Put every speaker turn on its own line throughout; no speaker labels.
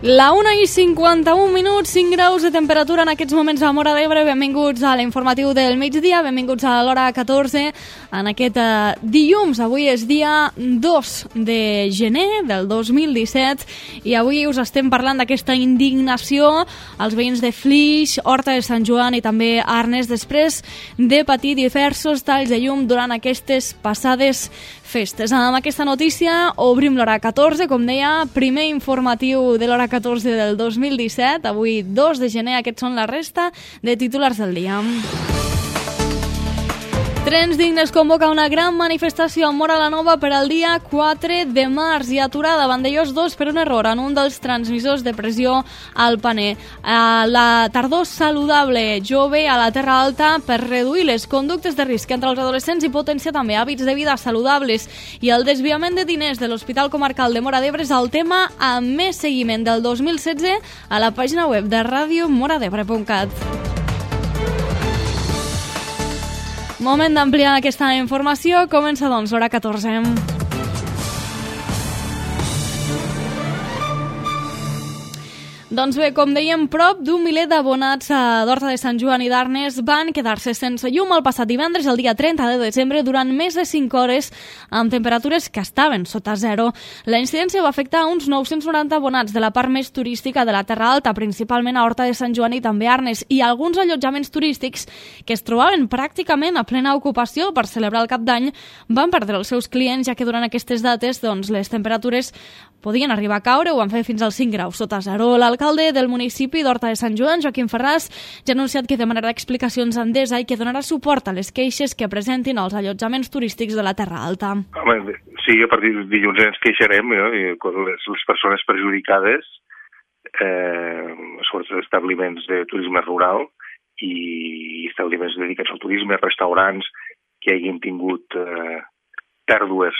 La 1:51, 5 graus de temperatura en aquests moments a Móra d'Ebre. Benvinguts a l'informatiu del migdia, benvinguts a l'hora 14 en aquest dilluns. Avui és dia 2 de gener del 2017 i avui us estem parlant d'aquesta indignació als veïns de Flix, Horta de Sant Joan i també Arnes després de patir diversos talls de llum durant aquestes passades festes. Amb aquesta notícia obrim l'hora 14, com deia, primer informatiu de l'hora 14 del 2017, avui 2 de gener, aquests són la resta de titulars del dia. Trens Dignes convoca una gran manifestació a Móra la Nova per al dia 4 de març i aturada a Vandellòs 2 per un error en un dels transmissors de pressió al paner. La tardor saludable jove a la Terra Alta per reduir les conductes de risc entre els adolescents i potenciar també hàbits de vida saludables. I el desviament de diners de l'Hospital Comarcal de Móra d'Ebre és el tema amb més seguiment del 2016 a la pàgina web de radiomoradebre.cat. Moment d'ampliar aquesta informació. Comença, doncs, l'hora 14. Doncs bé, com dèiem, prop d'un miler d'abonats d'Horta de Sant Joan i d'Arnes van quedar-se sense llum el passat divendres, el dia 30 de desembre, durant més de 5 hores, amb temperatures que estaven sota zero. La incidència va afectar uns 990 abonats de la part més turística de la Terra Alta, principalment a Horta de Sant Joan i també Arnes, i alguns allotjaments turístics que es trobaven pràcticament a plena ocupació per celebrar el Cap d'Any van perdre els seus clients, ja que durant aquestes dates les temperatures podien arribar a caure o van fer fins als 5 graus sota zero. L'alcalde del municipi d'Horta de Sant Joan, Joaquim Ferràs, ja ha anunciat que demanarà explicacions a Endesa i que donarà suport a les queixes que presentin els allotjaments turístics de la Terra Alta.
Home, sí, a partir de dilluns ens queixarem, les persones perjudicades, sobretot establiments de turisme rural i establiments dedicats al turisme, restaurants que hagin tingut pèrdues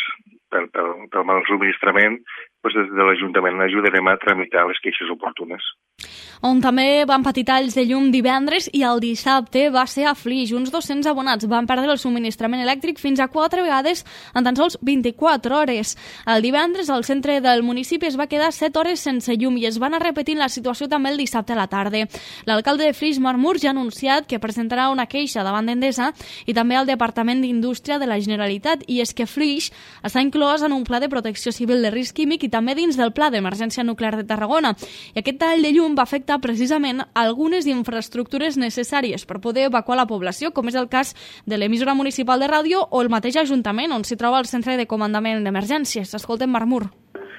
pel mal subministrament, des de l'Ajuntament ajudarem a tramitar les queixes oportunes.
On també van patir talls de llum divendres i el dissabte va ser a Flix. Uns 200 abonats van perdre el subministrament elèctric fins a 4 vegades en tan sols 24 hores. El divendres el centre del municipi es va quedar 7 hores sense llum i es va anar repetint la situació també el dissabte a la tarda. L'alcalde de Flix, Marc Mur, ja ha anunciat que presentarà una queixa davant d'Endesa i també al Departament d'Indústria de la Generalitat, i és que Flix està inclòs en un pla de protecció civil de risc químic i també dins del Pla d'Emergència Nuclear de Tarragona. I aquest tall de llum va afectar precisament algunes infraestructures necessàries per poder evacuar la població, com és el cas de l'emissora municipal de ràdio o el mateix Ajuntament, on s'hi troba el centre de comandament d'emergències. Escoltem Marc Mur.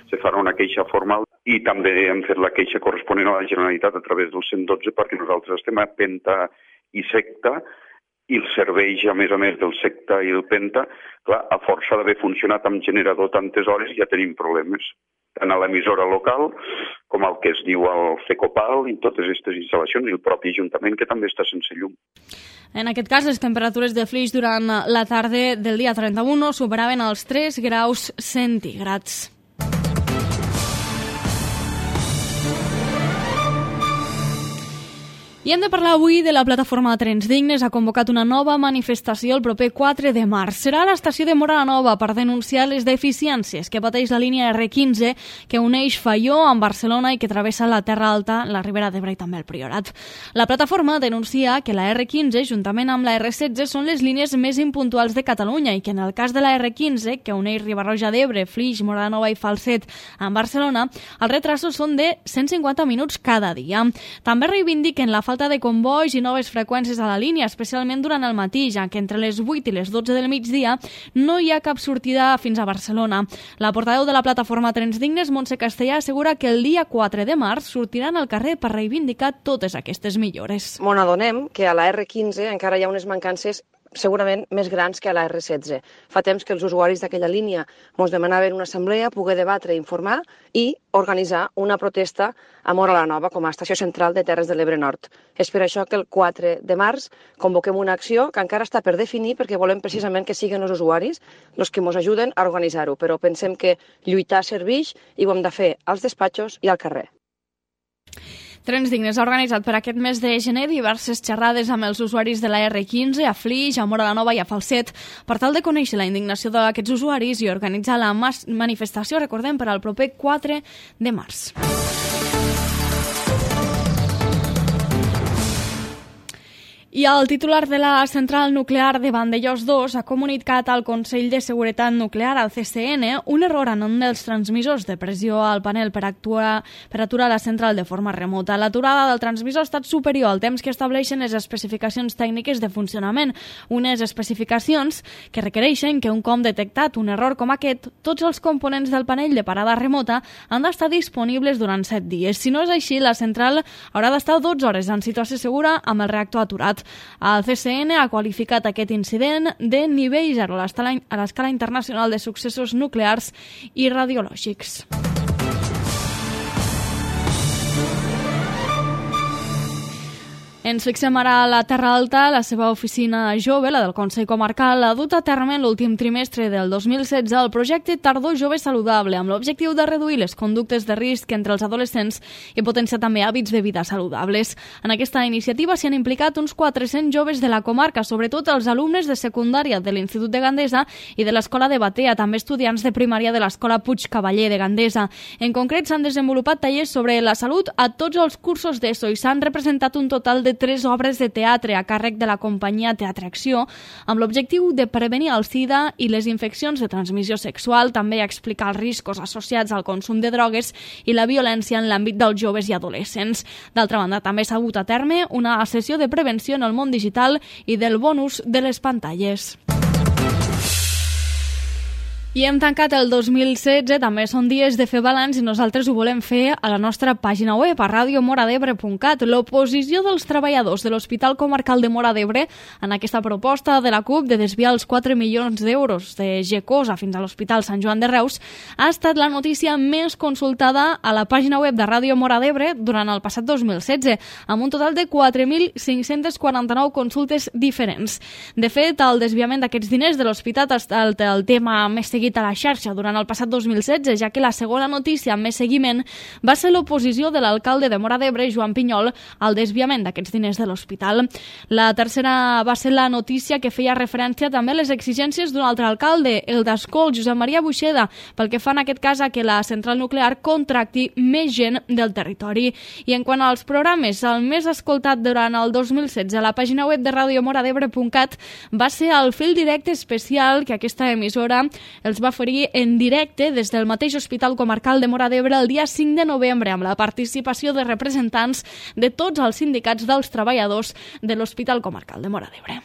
Se farà una queixa formal i també hem fet la queixa corresponent a la Generalitat a través del 112 perquè nosaltres estem a Penta i Secta i els serveis, a més del Secta i el Penta, clar, a força d'haver funcionat amb generador tantes hores ja tenim problemes, tant a l'emissora local com el que es diu el FECOPAL i totes aquestes instal·lacions i el propi Ajuntament que també està sense llum.
En aquest cas, les temperatures de Flix durant la tarda del dia 31 superaven els 3 graus centígrads. I hem de parlar avui de la plataforma Trens Dignes. Ha convocat una nova manifestació el proper 4 de març. Serà a l'estació de Móra la Nova per denunciar les deficiències que pateix la línia R15 que uneix Faió amb Barcelona i que travessa la Terra Alta, la Ribera d'Ebre i també el Priorat. La plataforma denuncia que la R15, juntament amb la R16, són les línies més impuntuals de Catalunya i que en el cas de la R15, que uneix Riba-roja d'Ebre, Flix, Móra la Nova i Falset amb Barcelona, els retrasos són de 150 minuts cada dia. També reivindiquen la falta de convois i noves freqüències a la línia, especialment durant el matí, ja que entre les 8 i les 12 del migdia no hi ha cap sortida fins a Barcelona. La portaveu de la plataforma Trens Dignes, Montse Castellà, assegura que el dia 4 de març sortiran al carrer per reivindicar totes aquestes millores.
M'on adonem que a la R15 encara hi ha unes mancances segurament més grans que a la R16. Fa temps que els usuaris d'aquella línia ens demanaven una assemblea, poder debatre i informar i organitzar una protesta a Móra la Nova com a estació central de Terres de l'Ebre Nord. És per això que el 4 de març convoquem una acció que encara està per definir perquè volem precisament que siguin els usuaris els que ens ajuden a organitzar-ho, però pensem que lluitar serveix i ho hem de fer als despatxos i al carrer.
Trens Dignes ha organitzat per aquest mes de gener diverses xerrades amb els usuaris de la R15 a Flix, a Móra la Nova i a Falset per tal de conèixer la indignació d'aquests usuaris i organitzar la manifestació, recordem, per al proper 4 de març. I el titular de la central nuclear de Vandellòs 2 ha comunicat al Consell de Seguretat Nuclear, al CCN, un error en un dels transmissors de pressió al panel per aturar la central de forma remota. L'aturada del transmissor ha estat superior al temps que estableixen les especificacions tècniques de funcionament, unes especificacions que requereixen que un cop detectat un error com aquest, tots els components del panell de parada remota han d'estar disponibles durant 7 dies. Si no és així, la central haurà d'estar 12 hores en situació segura amb el reactor aturat. El CCN ha qualificat aquest incident de nivell 0 a l'escala internacional de successos nuclears i radiològics. Ens fixem ara a la Terra Alta. La seva oficina jove, la del Consell Comarcal, ha dut a terme en l'últim trimestre del 2016 el projecte Tardor Jove Saludable, amb l'objectiu de reduir les conductes de risc entre els adolescents i potenciar també hàbits de vida saludables. En aquesta iniciativa s'hi han implicat uns 400 joves de la comarca, sobretot els alumnes de secundària de l'Institut de Gandesa i de l'Escola de Batea, també estudiants de primària de l'Escola Puig Cavaller de Gandesa. En concret, s'han desenvolupat tallers sobre la salut a tots els cursos d'ESO i s'han representat un total de 3 obres de teatre a càrrec de la companyia Teatre Acció, amb l'objectiu de prevenir el SIDA i les infeccions de transmissió sexual, també explicar els riscos associats al consum de drogues i la violència en l'àmbit dels joves i adolescents. D'altra banda, també s'ha dut a terme una sessió de prevenció en el món digital i del bon ús de les pantalles. I hem tancat el 2016, també són dies de fer balanç i nosaltres ho volem fer a la nostra pàgina web, a radiomoradebre.cat. L'oposició dels treballadors de l'Hospital Comarcal de Móra d'Ebre en aquesta proposta de la CUP de desviar els 4 milions d'euros de GECOSA fins a l'Hospital Sant Joan de Reus ha estat la notícia més consultada a la pàgina web de Ràdio Móra d'Ebre durant el passat 2016, amb un total de 4.549 consultes diferents. De fet, el desviament d'aquests diners de l'hospital ha estat el tema més seguit a la xarxa durant el passat 2016, ja que la segona notícia amb més seguiment va ser l'oposició de l'alcalde de Móra d'Ebre, Joan Pinyol, al desviament d'aquests diners de l'hospital. La tercera va ser la notícia que feia referència també a les exigències d'un altre alcalde, el d'Ascol, Josep Maria Buixeda, pel que fa en aquest cas a que la central nuclear contracti més gent del territori. I en quant als programes, el més escoltat durant el 2016 a la pàgina web de radiomoradebre.cat va ser el fil directe especial que aquesta emissora els va oferir en directe des del mateix Hospital Comarcal de Móra d'Ebre el dia 5 de novembre amb la participació de representants de tots els sindicats dels treballadors de l'Hospital Comarcal de Móra d'Ebre.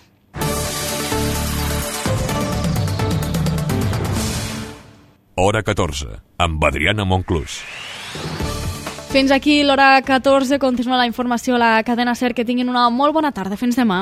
Hora 14, amb Adriana Monclús.
Fins aquí l'hora 14, continua la informació a la cadena SER. Que tinguin una molt bona tarda. Fins demà.